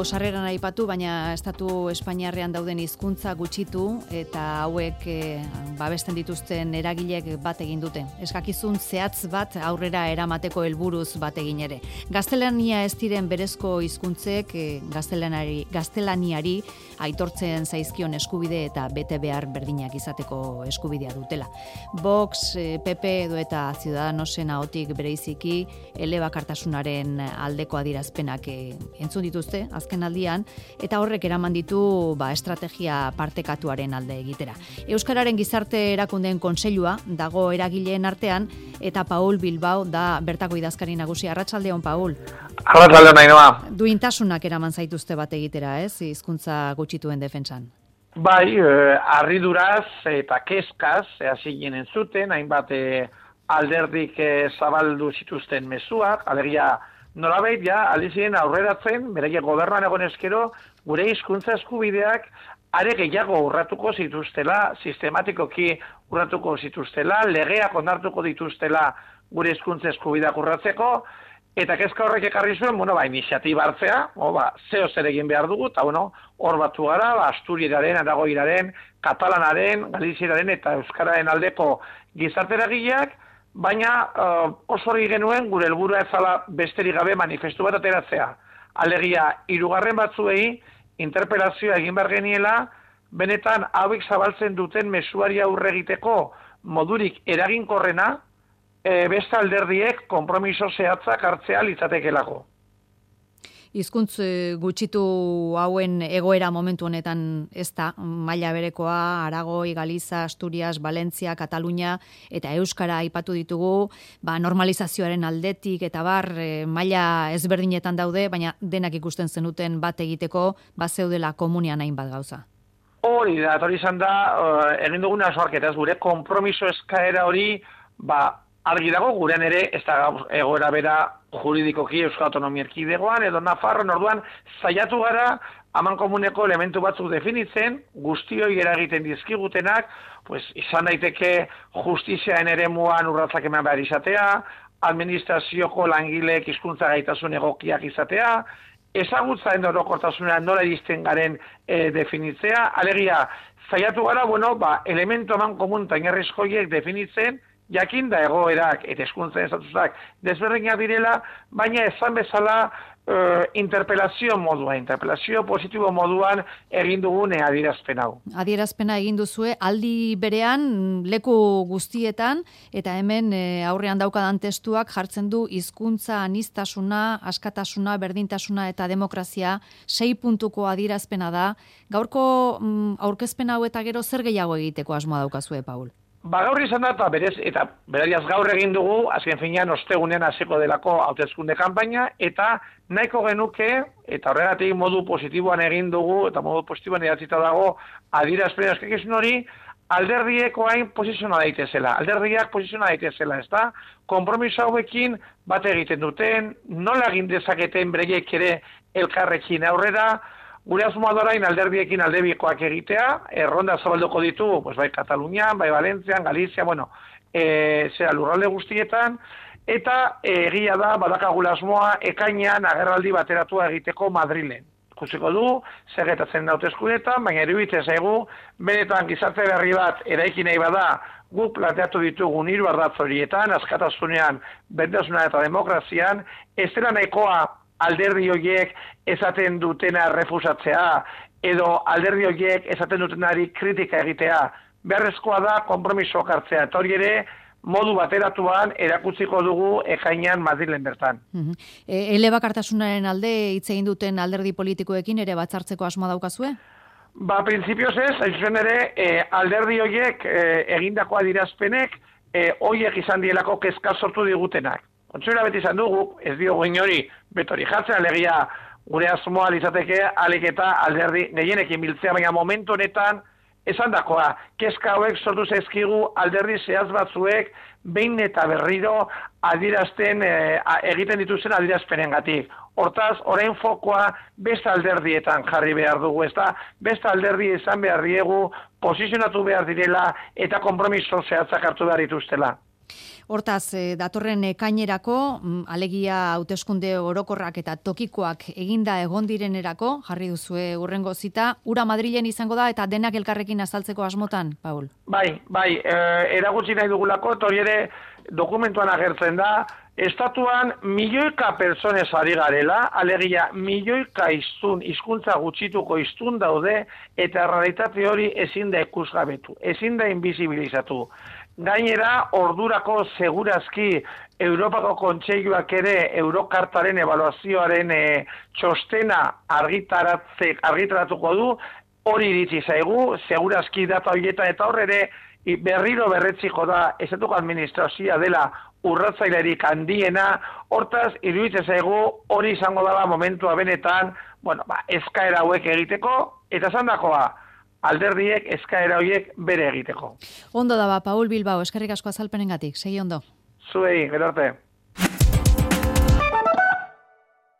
sarreran aipatu, baina estatu Espainiarrean dauden hizkuntza gutxitu eta hauek babesten dituzten eragilek bat egin dute. Eskakizun zehatz bat aurrera eramateko helburuz bat egin ere. Gaztelania ez diren berezko hizkuntzek gaztelaniari aitortzen zaizkion eskubide eta bete behar berdinak izateko eskubidea dutela. Vox, PP edo eta Ciudadanosen ahotik bereiziki elebakartasunaren aldeko adierazpenak entzun dituzte azken aldian, eta horrek eraman ditu estrategia partekatuaren alde egitera. Euskararen gizarte erakundeen kontseilua dago eragileen artean, eta Paul Bilbao da bertako idazkari nagusia. Arratsaldeon, Paul. Arratsaldeon, Ainhoa. Duintasunak eraman zaituzte bat egitera, ez? Hizkuntza gutxituen defentsan. Bai, harriduraz eta kezkaz hasi ginen zuten, hainbat alderdik zabaldu zituzten mezuak, alegia nolabait aliziren aurreratzen, beraiek gobernuan egon eskero, gure hizkuntza eskubideak are gehiago urratuko zituztela, sistematikoki urratuko zituztela, legeak onartuko dituztela gure hizkuntza eskubideak urratzeko, eta kezka horrek ekarri zuen, iniziatiba hartzea, zeo zer egin behar dugu, eta hor batu gara, Asturieraren, Aragoiraren, Katalanaren, Galizieraren eta Euskararen aldeko gizarteragileak, baina oso hori genuen gure helburua ez zala besterik gabe manifestu bat ateratzea. Alegia, 3 batzuei interpelazioa egin behar geniela, benetan hauek zabaltzen duten mezuari aurre egiteko modurik eraginkorrena, beste alderdiek konpromiso zehatzak hartzea litzatekelako. Hizkuntz gutxitu hauen egoera momentu honetan ez da, maila berekoa, Aragoi, Galiza, Asturias, Valentzia, Katalunia eta Euskara aipatu ditugu, normalizazioaren aldetik eta maila ezberdinetan daude, baina denak ikusten zenuten bat egiteko, zeudela komunian hainbat gauza. Hori da, hori izan da, egin duguna soarketaz, gure konpromiso eskaera hori, argi dago, gurean ere, ez da egoera bera juridikoki Euskal Autonomia Erkidegoan, edo Nafarroan, orduan, saiatu gara, haman komuneko elementu batzuk definitzen, guztioi eragiten dizkigutenak, izan daiteke justiziaen eremuan urratsak eman behar izatea, administrazioko langileek hizkuntza gaitasun egokiak izatea, ezagutzaen orokortasunean nola iristen garen definitzea, alegia, saiatu gara, elementu haman komun tainarrizkoiek definitzen, jakin da egoerak eta hizkuntzen estatusak desberdinak direla, baina esan bezala interpelazio positibo moduan egin dugune adierazpen hau. Adierazpena egin duzue, aldi berean leku guztietan, eta hemen aurrean daukadan testuak jartzen du hizkuntza aniztasuna, askatasuna, berdintasuna eta demokrazia 6 puntuko adierazpena da. Gaurko aurkezpen hau eta gero zer gehiago egiteko asmoa daukazue, Paul? Gaur izan da, eta berariaz gaur egin dugu, azken finean ostegunean hasiko delako hauteskunde kanpaina, eta nahiko genuke, eta horregatik modu positiboan egin dugu, eta modu positiboan idatzita dago, adierazpen eskakizun hori, alderdiek orain posiziona daitezela, ez da? Konpromiso hauekin bat egiten duten, nola egin dezaketen bereiek ere elkarrekin aurrera, gure asmoa da orain alderdiekin aldebikoak egitea, erronda zabalduko ditu, bai Katalunian, bai Valentzian, Galizia, lurralde guztietan, eta egia da badakagula asmoa ekainean agerraldi bateratua egiteko Madrilen. Ikusiko du, zer gertatzen hauteskundeetan, baina iruditzen zaigu, benetan gizarte berri bat eraiki nahi bada, guk planteatu ditugun 3 ardatz horietan, askatasunean, berdintasuna eta demokrazian, ez dela nahikoa alderdi horiek esaten dutena refusatzea, edo alderdi horiek esaten dutenari kritika egitea. Beharrezkoa da konpromisoak hartzea, eta hori ere modu bateratuan erakutsiko dugu ekainean Madrilen bertan. Elebakartasunaren alde hitz egin duten alderdi politikoekin ere batzartzeko asmoa daukazue? Printzipioz ez, hain ere alderdi horiek egindako adierazpenek horiek izan dielako kezka sortu digutenak. Kontsuela beti izan dugu, ez diogu inori betori jartzen, alegia gure asmoa litzateke alik eta alderdi gehienekin biltzea, baina momentu honetan esan dakoa, kezka hauek sortu zaizkigu alderdi zehaz batzuek behin eta berriro egiten dituzten adierazpenengatik. Hortaz, orain fokoa beste alderdietan jarri behar dugu, ezta? Beste alderdi izan behar diegu, posizionatu behar direla eta konpromiso zehatzak hartu behar dituztela. Hortaz, datorren ekainerako, alegia hauteskunde orokorrak eta tokikoak eginda egon direnerako, jarri duzue hurrengo zita, ura Madrilen izango da eta denak elkarrekin azaltzeko asmotan, Paul? Bai, eragutzi nahi dugulako, eta hori ere dokumentuan agertzen da, estatuan milioika personez ari garela, alegia milioika hizkuntza gutxituko hiztun daude, eta realitate hori ezin da ikusgabetu, ezin da invisibilizatu. Gainera, ordurako segurazki Europako Kontseiluak ere Eurokartaren ebaluazioaren txostena argitaratuko du, hori iritsi zaigu, segurazki data horietan eta horre berriro berretziko da estatuko administrazioa dela urratzailerik handiena, hortaz, iruditzen zaigu hori izango dela momentua benetan, eskaera hauek egiteko, eta zandakoa, alderdiek eskaera horiek bere egiteko. Ondo da, Paul Bilbao, eskerrik asko azalpenengatik, segi ondo. Zuei, gero arte.